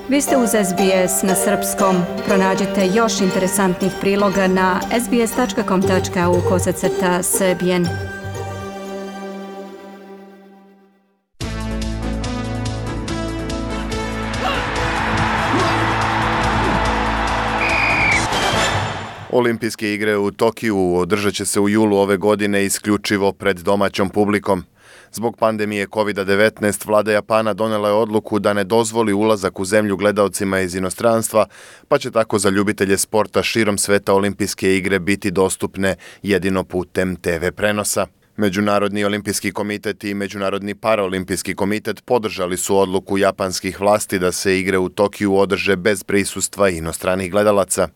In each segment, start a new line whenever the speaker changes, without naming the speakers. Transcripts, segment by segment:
Vi ste uz SBS na srpskom. Pronađite još interesantnih priloga na sbs.com.au/srbijen.
Olimpijske igre u Tokiju održat će se u julu ove godine isključivo pred domaćom publikom. Zbog pandemije COVID-19 vlada Japana donela je odluku da ne dozvoli ulazak u zemlju gledaocima iz inostranstva, pa će tako za ljubitelje sporta širom sveta olimpijske igre biti dostupne jedino putem TV prenosa. Međunarodni olimpijski komitet i Međunarodni paraolimpijski komitet podržali su odluku japanskih vlasti da se igre u Tokiju održe bez prisustva inostranih gledalaca.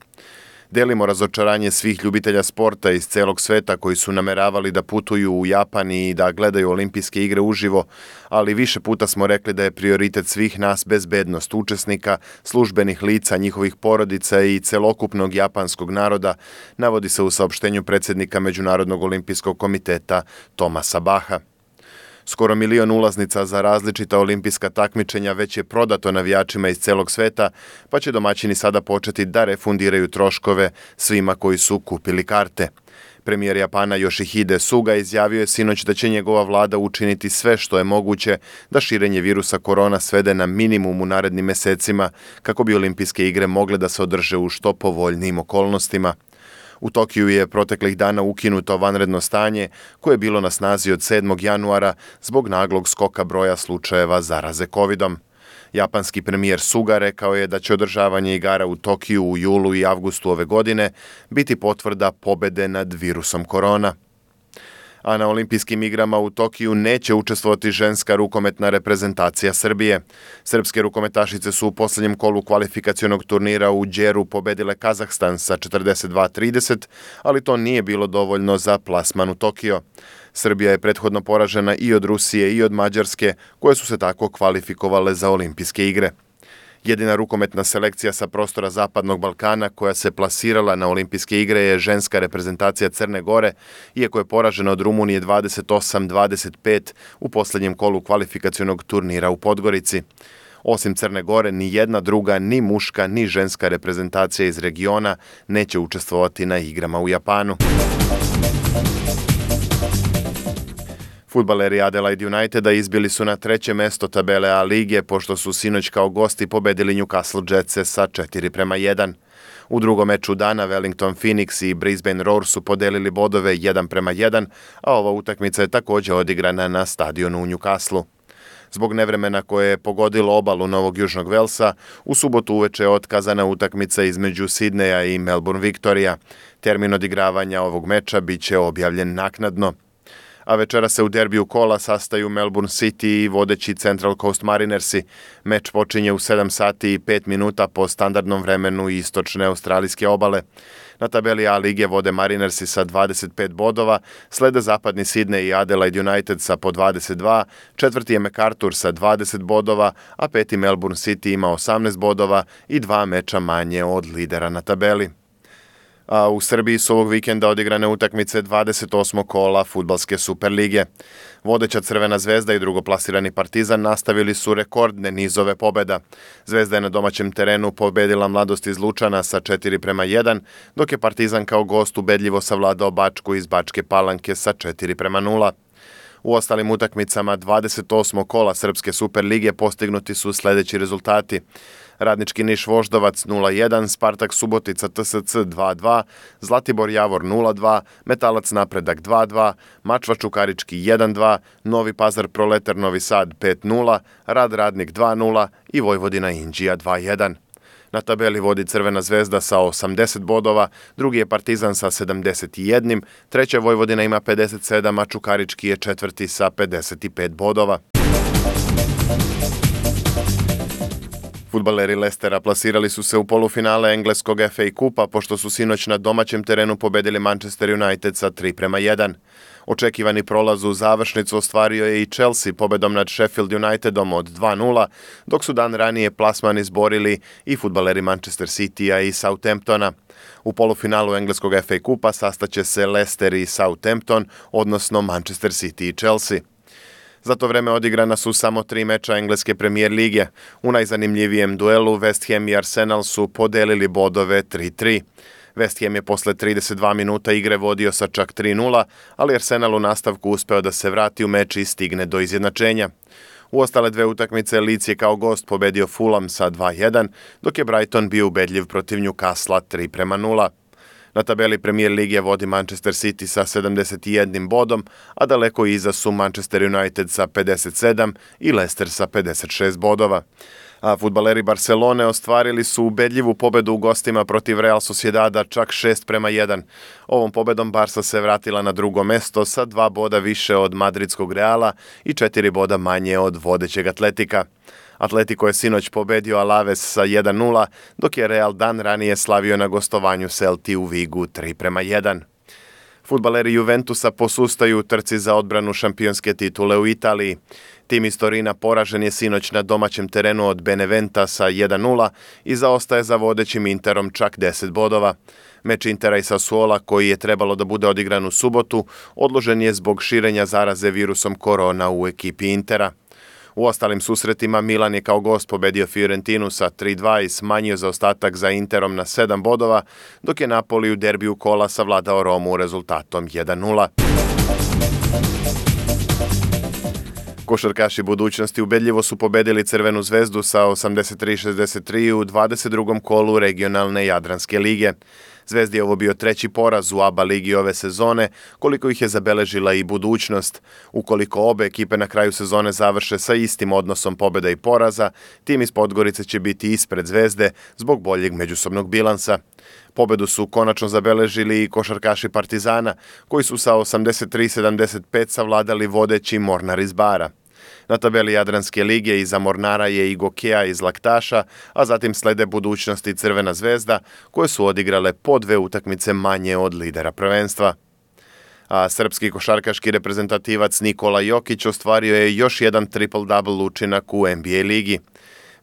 Delimo razočaranje svih ljubitelja sporta iz celog sveta koji su nameravali da putuju u Japan i da gledaju olimpijske igre uživo, ali više puta smo rekli da je prioritet svih nas bezbednost učesnika, službenih lica, njihovih porodica i celokupnog japanskog naroda, navodi se u saopštenju predsjednika Međunarodnog olimpijskog komiteta Thomasa Bacha. Skoro 1 milion ulaznica za različita olimpijska takmičenja već je prodato navijačima iz celog sveta, pa će domaćini sada početi da refundiraju troškove svima koji su kupili karte. Premijer Japana Yoshihide Suga izjavio je sinoć da će njegova vlada učiniti sve što je moguće da širenje virusa korona svede na minimum u narednim mesecima kako bi olimpijske igre mogle da se održe u što povoljnijim okolnostima. U Tokiju je proteklih dana ukinuto vanredno stanje koje je bilo na snazi od 7. januara zbog naglog skoka broja slučajeva zaraze covidom. Japanski premijer Suga rekao je da će održavanje igara u Tokiju u julu i avgustu ove godine biti potvrda pobede nad virusom korona. A na olimpijskim igrama u Tokiju neće učestvovati ženska rukometna reprezentacija Srbije. Srpske rukometašice su u posljednjem kolu kvalifikacionog turnira u Đeru pobedile Kazahstan sa 42-30, ali to nije bilo dovoljno za plasman u Tokio. Srbija je prethodno poražena i od Rusije i od Mađarske, koje su se tako kvalifikovale za olimpijske igre. Jedina rukometna selekcija sa prostora Zapadnog Balkana koja se plasirala na olimpijske igre je ženska reprezentacija Crne Gore, iako je poražena od Rumunije 28-25 u posljednjem kolu kvalifikacionog turnira u Podgorici. Osim Crne Gore, ni jedna druga, ni muška, ni ženska reprezentacija iz regiona neće učestvovati na igrama u Japanu. Fudbaleri Adelaide Uniteda izbili su na 3. mesto tabele A lige pošto su sinoć kao gosti pobedili Newcastle Jetse sa 4-1. U drugom meču dana Wellington Phoenix i Brisbane Roar su podelili bodove 1-1, a ova utakmica je također odigrana na stadionu u Newcastleu. Zbog nevremena koje je pogodilo obalu Novog Južnog Velsa, u subotu uveče je otkazana utakmica između Sidneja i Melbourne Victoria. Termin odigravanja ovog meča bit će objavljen naknadno. A večera se u derbiju kola sastaju Melbourne City i vodeći Central Coast Marinersi. Meč počinje u 7 sati i 5 minuta po standardnom vremenu istočne australijske obale. Na tabeli A lige vode Marinersi sa 25 bodova, slede zapadni Sydney i Adelaide United sa po 22, četvrti je MacArthur sa 20 bodova, a peti Melbourne City ima 18 bodova i 2 meča manje od lidera na tabeli. A u Srbiji su ovog vikenda odigrane utakmice 28. kola fudbalske Superlige. Vodeća Crvena zvezda i drugoplasirani Partizan nastavili su rekordne nizove pobjeda. Zvezda je na domaćem terenu pobedila Mladost iz Lučana sa 4-1, dok je Partizan kao gost ubedljivo savladao Bačku iz Bačke Palanke sa 4-0. U ostalim utakmicama 28. kola Srpske Superlige postignuti su sljedeći rezultati. Radnički Niš Voždovac 0-1, Spartak Subotica TSC 2-2, Zlatibor Javor 0-2, Metalac Napredak 2-2, Mačva Čukarički 1-2, Novi Pazar Proletar Novi Sad 5-0, Rad Radnik 2-0 i Vojvodina Inđija 2-1. Na tabeli vodi Crvena zvezda sa 80 bodova, drugi je Partizan sa 71, treća Vojvodina ima 57, a Čukarički je četvrti sa 55 bodova. Fudbaleri Leicestera plasirali su se u polufinale engleskog FA Kupa pošto su sinoć na domaćem terenu pobedili Manchester United sa 3-1. Očekivani prolaz u završnicu ostvario je i Chelsea pobedom nad Sheffield Unitedom od 2-0, dok su dan ranije plasman izborili i fudbaleri Manchester Citya i Southamptona. U polufinalu engleskog FA Kupa sastaće se Leicester i Southampton, odnosno Manchester City i Chelsea. Za to vreme odigrana su samo 3 meča engleske premijer lige. U najzanimljivijem duelu West Ham i Arsenal su podelili bodove 3-3. West Ham je posle 32 minuta igre vodio sa čak 3-0, ali Arsenal u nastavku uspeo da se vrati u meč i stigne do izjednačenja. U ostale dve utakmice Leeds je kao gost pobedio Fulham sa 2-1, dok je Brighton bio ubedljiv protiv Newcastle 3-0. Na tabeli Premier lige vodi Manchester City sa 71 bodom, a daleko iza su Manchester United sa 57 i Leicester sa 56 bodova. A fudbaleri Barcelone ostvarili su ubedljivu pobedu u gostima protiv Real Sociedada čak 6-1. Ovom pobedom Barca se vratila na drugo mesto sa 2 boda više od madridskog Reala i 4 boda manje od vodećeg Atletika. Atletico je sinoć pobedio Alaves sa 1-0, dok je Real dan ranije slavio na gostovanju Celti u Vigu 3-1. Fudbaleri Juventusa posustaju u trci za odbranu šampionske titule u Italiji. Tim iz Torina poražen je sinoć na domaćem terenu od Beneventa sa 1-0 i zaostaje za vodećim Interom čak 10 bodova. Meč Intera i Sassuola, koji je trebalo da bude odigran u subotu, odložen je zbog širenja zaraze virusom korona u ekipi Intera. U ostalim susretima Milan je kao gost pobedio Fiorentinu sa 3-2 i smanjio zaostatak za Interom na 7 bodova, dok je Napoli u derbiju kola savladao Romu rezultatom 1-0. Košarkaši budućnosti ubedljivo su pobedili Crvenu zvezdu sa 83-63 u 22. kolu regionalne Jadranske lige. Zvezdi je ovo bio 3. poraz u ABA ligi ove sezone, koliko ih je zabeležila i budućnost. Ukoliko obe ekipe na kraju sezone završe sa istim odnosom pobjeda i poraza, tim iz Podgorice će biti ispred Zvezde zbog boljeg međusobnog bilansa. Pobedu su konačno zabeležili i košarkaši Partizana, koji su sa 83-75 savladali vodeći Mornar iz Bara. Na tabeli Jadranske lige iza Mornara je i Gokeja iz Laktaša, a zatim slede Budućnost i Crvena zvezda, koje su odigrale po 2 utakmice manje od lidera prvenstva. A srpski košarkaški reprezentativac Nikola Jokić ostvario je još jedan triple-double učinak u NBA ligi.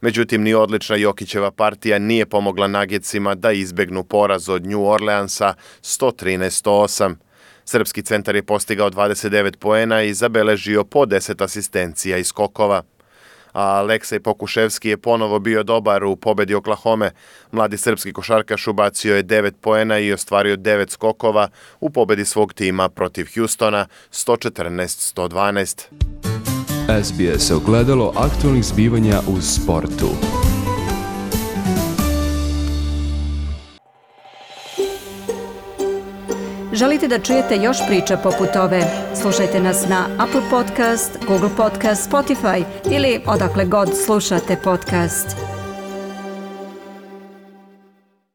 Međutim, ni odlična Jokićeva partija nije pomogla Nuggetsima da izbegnu poraz od New Orleansa 113-108. Srpski centar je postigao 29 poena i zabeležio po 10 asistencija i skokova. A Aleksej Pokuševski je ponovo bio dobar u pobedi Oklahome. Mladi srpski košarkaš ubacio je 9 poena i ostvario 9 skokova u pobedi svog tima protiv Houstona 114-112.
SBS ogledalo aktualnih zbivanja u sportu.
Želite da čujete još priča poput ove? Slušajte nas na Apple Podcast, Google Podcast, Spotify ili odakle god slušate podcast.